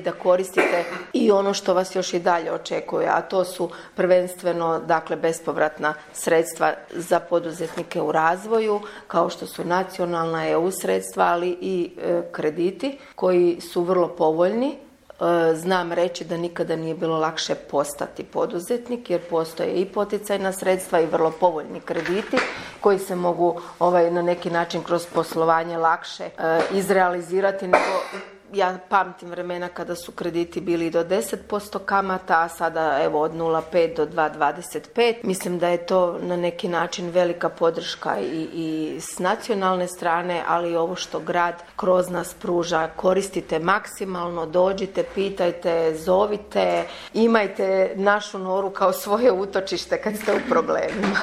da koristite i ono što vas još i dalje očekuje, a to su prvenstveno bespovratna sredstva za poduzetnike u razvoju, kao što su nacionalna EU sredstva, ali i krediti koji su vrlo povoljni. Znam reći da nikada nije bilo lakše postati poduzetnik jer postoje i poticajna sredstva i vrlo povoljni krediti koji se mogu na neki način kroz poslovanje lakše izrealizirati nego ja pamtim vremena kada su krediti bili do 10% kamata, a sada od 0,5 do 2,25. Mislim da je to na neki način velika podrška i s nacionalne strane, ali i ovo što grad kroz nas pruža. Koristite maksimalno, dođite, pitajte, zovite, imajte našu Noru kao svoje utočište kad ste u problemima.